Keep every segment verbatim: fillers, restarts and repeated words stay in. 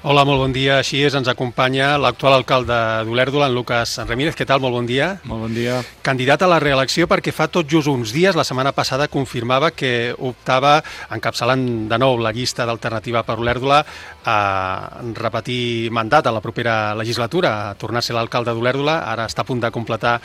Hola, molt bon dia. Així és, ens acompanya l'actual alcalde d'Olèrdola, en Lucas Ramírez. Què tal? Molt bon dia. Molt bon dia. Candidat a la reelecció perquè fa tot just uns dies, la setmana passada, confirmava que optava, encapçalant de nou la llista d'Alternativa per Olèrdola, a repetir mandat a la propera legislatura, a tornar a ser l'alcalde d'Olèrdola. Ara està a punt de completar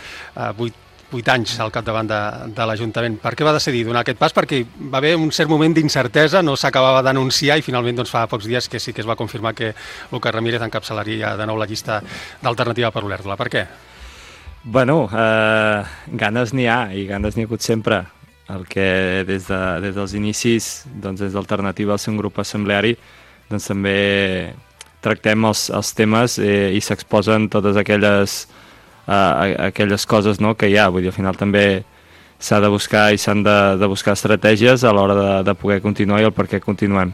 vuit vuit anys al capdavant de, de l'Ajuntament. Per què va decidir donar aquest pas? Perquè va haver un cert moment d'incertesa, no s'acabava d'anunciar i finalment doncs, fa pocs dies que sí que es va confirmar que Lucas Ramírez encapçalaria de nou la llista d'Alternativa per Olèrdola. Per què? Bueno, eh, ganes n'hi ha i ganes n'hi ha hagut sempre. El que des, de, des dels inicis, doncs, des d'Alternativa al ser un grup assembleari, doncs també tractem els, els temes eh, i s'exposen totes aquelles Uh, aquelles coses, no, que hi ha. Vull dir, al final també s'ha de buscar i s'han de, de buscar estratègies a l'hora de, de poder continuar i el per què continuem.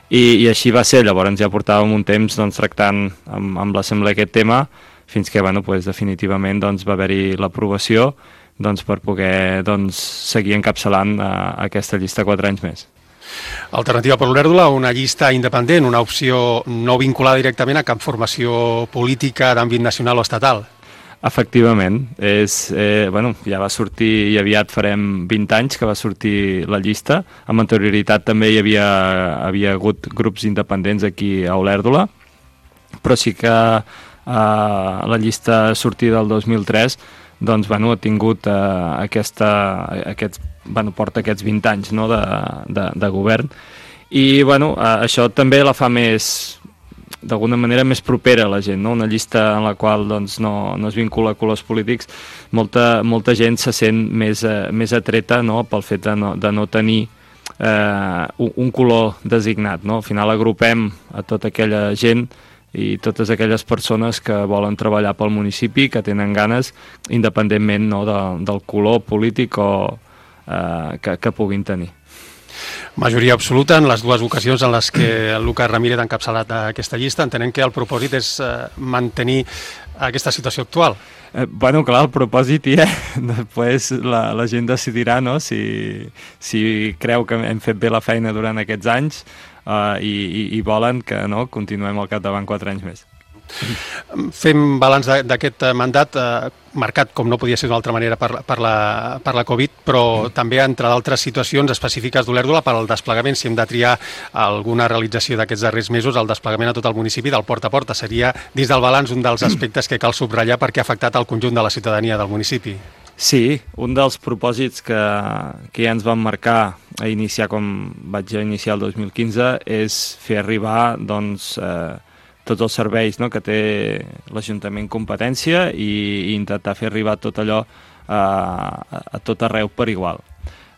I, i així va ser. Llavors ja portàvem un temps doncs, tractant amb, amb l'assemblea aquest tema fins que bueno, pues, definitivament doncs, va haver-hi l'aprovació doncs, per poder doncs, seguir encapçalant uh, aquesta llista quatre anys més. Alternativa per Olèrdola, una llista independent, una opció no vinculada directament a cap formació política d'àmbit nacional o estatal. Efectivament, és, eh, bueno, ja va sortir i aviat farem vint anys que va sortir la llista. Amb anterioritat també hi havia, havia hagut grups independents aquí a Olèrdola, però sí que eh, la llista sortida del dos mil tres doncs, bueno, ha tingut eh, aquesta, aquests, bueno, porta aquests vint anys, no, de, de, de govern i bueno, eh, això també la fa més d'alguna manera més propera a la gent, no? Una llista en la qual doncs, no, no es vincula a colors polítics, molta, molta gent se sent més, eh, més atreta, no? Pel fet de no, de no tenir eh, un, un color designat, no? Al final agrupem a tota aquella gent i totes aquelles persones que volen treballar pel municipi, que tenen ganes, independentment, no, de, del color polític o, eh, que, que puguin tenir. Majoria absoluta en les dues ocasions en les que el Lucas Ramírez ha encapçalat aquesta llista. Entenem que el propòsit és eh, mantenir aquesta situació actual. Eh, bueno, clar, el propòsit hi és. Després la, la gent decidirà, no? si, si creu que hem fet bé la feina durant aquests anys eh, i, i, i volen que no, continuem al capdavant quatre anys més. Fem balanç d'aquest mandat eh, marcat, com no podia ser d'una altra manera, per, per, la, per la Covid, però mm. també, entre d'altres situacions específiques d'Olèrdola, per al desplegament, si hem de triar alguna realització d'aquests darrers mesos, el desplegament a tot el municipi del porta a porta seria, dins del balanç, un dels aspectes que cal subratllar perquè ha afectat el conjunt de la ciutadania del municipi. Sí, un dels propòsits que, que ja ens vam marcar a iniciar, com vaig iniciar el dos mil quinze, és fer arribar, doncs, eh, tots els serveis, no, que té l'Ajuntament competència i, i intentar fer arribar tot allò eh, a, a tot arreu per igual.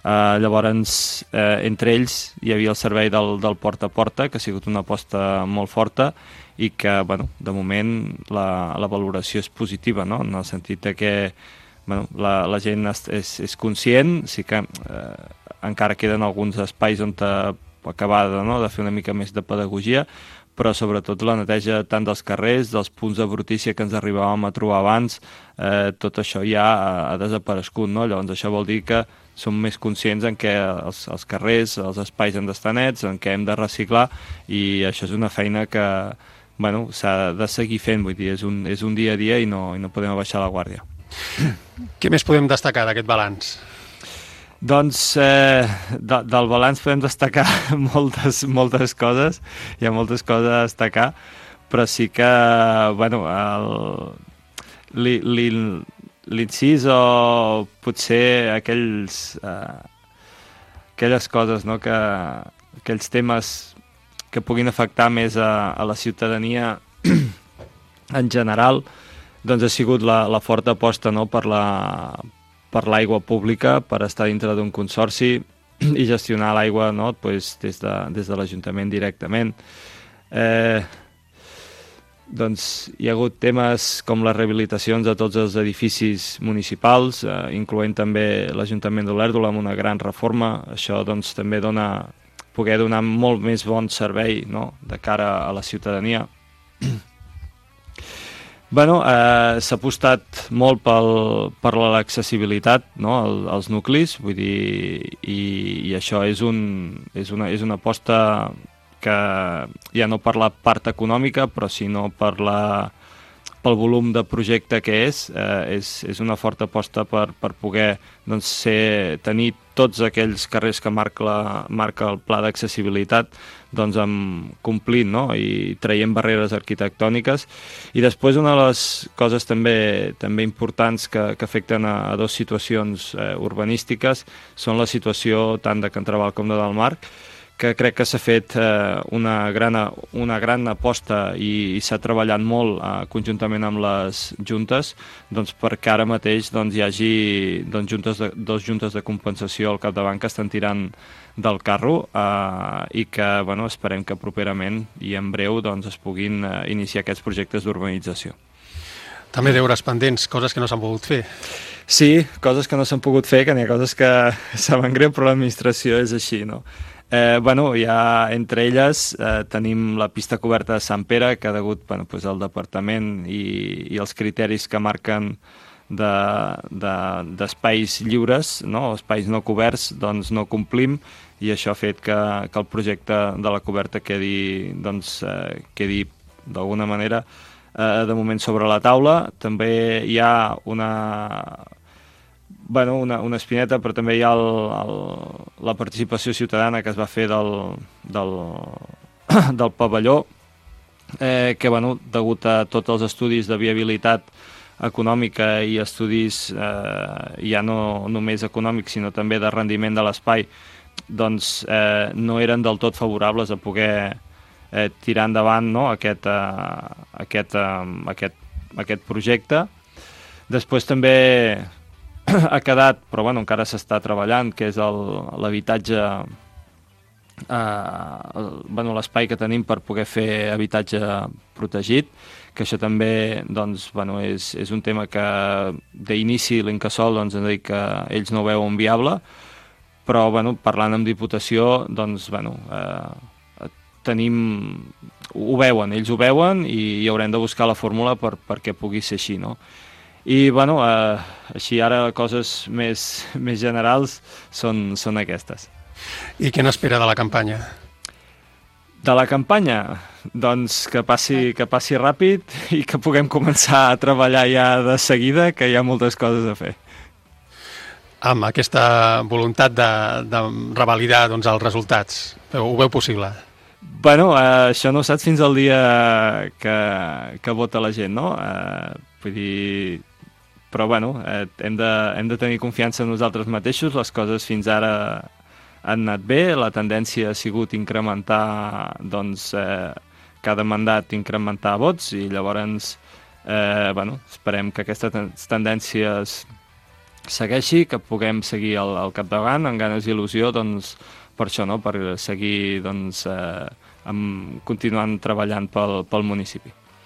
Eh, llavors, eh, entre ells hi havia el servei del, del porta a porta, que ha sigut una aposta molt forta i que, bueno, de moment la, la valoració és positiva, no? En el sentit de que bueno, la, la gent és, és, és conscient, sí que eh, encara queden alguns espais on acabar de, no, de fer una mica més de pedagogia, però sobretot la neteja tant dels carrers, dels punts de brutícia que ens arribàvem a trobar abans, eh, tot això ja ha, ha desaparegut, no? Llavors això vol dir que som més conscients en què els, els carrers, els espais han d'estar nets, en què hem de reciclar, i això és una feina que bueno, s'ha de seguir fent, vull dir, és un, és un dia a dia i no, i no podem abaixar la guàrdia. Què més podem destacar d'aquest balanç? Doncs eh, de, del balanç podem destacar moltes, moltes coses, hi ha moltes coses a destacar, però sí que, bueno, l'incís o potser aquells, eh, aquelles coses, no, que, aquells temes que puguin afectar més a, a la ciutadania en general, doncs ha sigut la, la forta aposta, no, per la per l'aigua pública, per estar dintre d'un consorci i gestionar l'aigua, no, pues, des de, des de l'Ajuntament directament. Eh, doncs hi ha hagut temes com les rehabilitacions de tots els edificis municipals, eh, incloent també l'Ajuntament d'Olèrdola amb una gran reforma. Això doncs, també dona, poder donar molt més bon servei, no, de cara a la ciutadania. Bueno, eh, s'ha apostat molt pel, per l'accessibilitat, no, al, als nuclis, vull dir, i, i això és, un, és, una, és una aposta que ja no per la part econòmica, però sinó per la pel volum de projecte que és, eh, és, és una forta aposta per, per poder doncs, ser, tenir tots aquells carrers que marca, la, marca el pla d'accessibilitat doncs, amb, complint, no? I traient barreres arquitectòniques. I després una de les coses també, també importants que, que afecten a, a dues situacions eh, urbanístiques són la situació tant de Can Traval com de Dalmarc, que crec que s'ha fet eh, una, gran, una gran aposta i, i s'ha treballat molt eh, conjuntament amb les juntes doncs, perquè ara mateix doncs, hi hagi doncs, juntes de, dos juntes de compensació al capdavant que estan tirant del carro eh, i que bueno, esperem que properament i en breu doncs, es puguin eh, iniciar aquests projectes d'urbanització. També deures pendents, coses que no s'han pogut fer. Sí, coses que no s'han pogut fer, que n'hi ha coses que saben greu, però l'administració és així, no? Eh, bueno, ja entre elles eh, tenim la pista coberta de Sant Pere, que degut bueno, pues, al departament i, i els criteris que marquen d'espais de, de, lliures, no? Espais no coberts, doncs no complim, i això ha fet que, que el projecte de la coberta quedi, doncs, eh, quedi d'alguna manera eh, de moment sobre la taula. També hi ha una... Bueno, una, una espineta, però també hi ha el, el, la participació ciutadana que es va fer del, del, del pavelló, eh, que, bueno, degut a tots els estudis de viabilitat econòmica i estudis eh, ja no només econòmics, sinó també de rendiment de l'espai, doncs eh, no eren del tot favorables a poder eh, tirar endavant, no?, aquest, eh, aquest, eh, aquest, aquest projecte. Després també ha quedat, però bueno, encara s'està treballant, que és l'habitatge, eh, bueno, l'espai que tenim per poder fer habitatge protegit, que això també doncs, bueno, és, és un tema que d'inici l'Incasòl doncs, ens ha dit que ells no ho veuen viable, però bueno, parlant amb Diputació doncs, bueno, eh, tenim, ho veuen, ells ho veuen i, i haurem de buscar la fórmula per, perquè pugui ser així, no? I, bueno, eh, així ara coses més, més generals són, són aquestes. I què n'espera de la campanya? De la campanya? Doncs que passi, que passi ràpid i que puguem començar a treballar ja de seguida, que hi ha moltes coses a fer. Amb aquesta voluntat de, de revalidar doncs, els resultats, ho veu possible? Bueno, eh, això no ho saps fins al dia que, que vota la gent, no? Eh, vull dir... Però, bueno, eh, hem, de, hem de tenir confiança en nosaltres mateixos. Les coses fins ara han anat bé. La tendència ha sigut incrementar, doncs, eh, cada mandat incrementar vots i llavors, eh, bueno, esperem que aquestes tendències segueixi, que puguem seguir al, al capdavant amb ganes i il·lusió, doncs, per això, no?, per seguir, doncs, eh, amb, continuant treballant pel, pel municipi.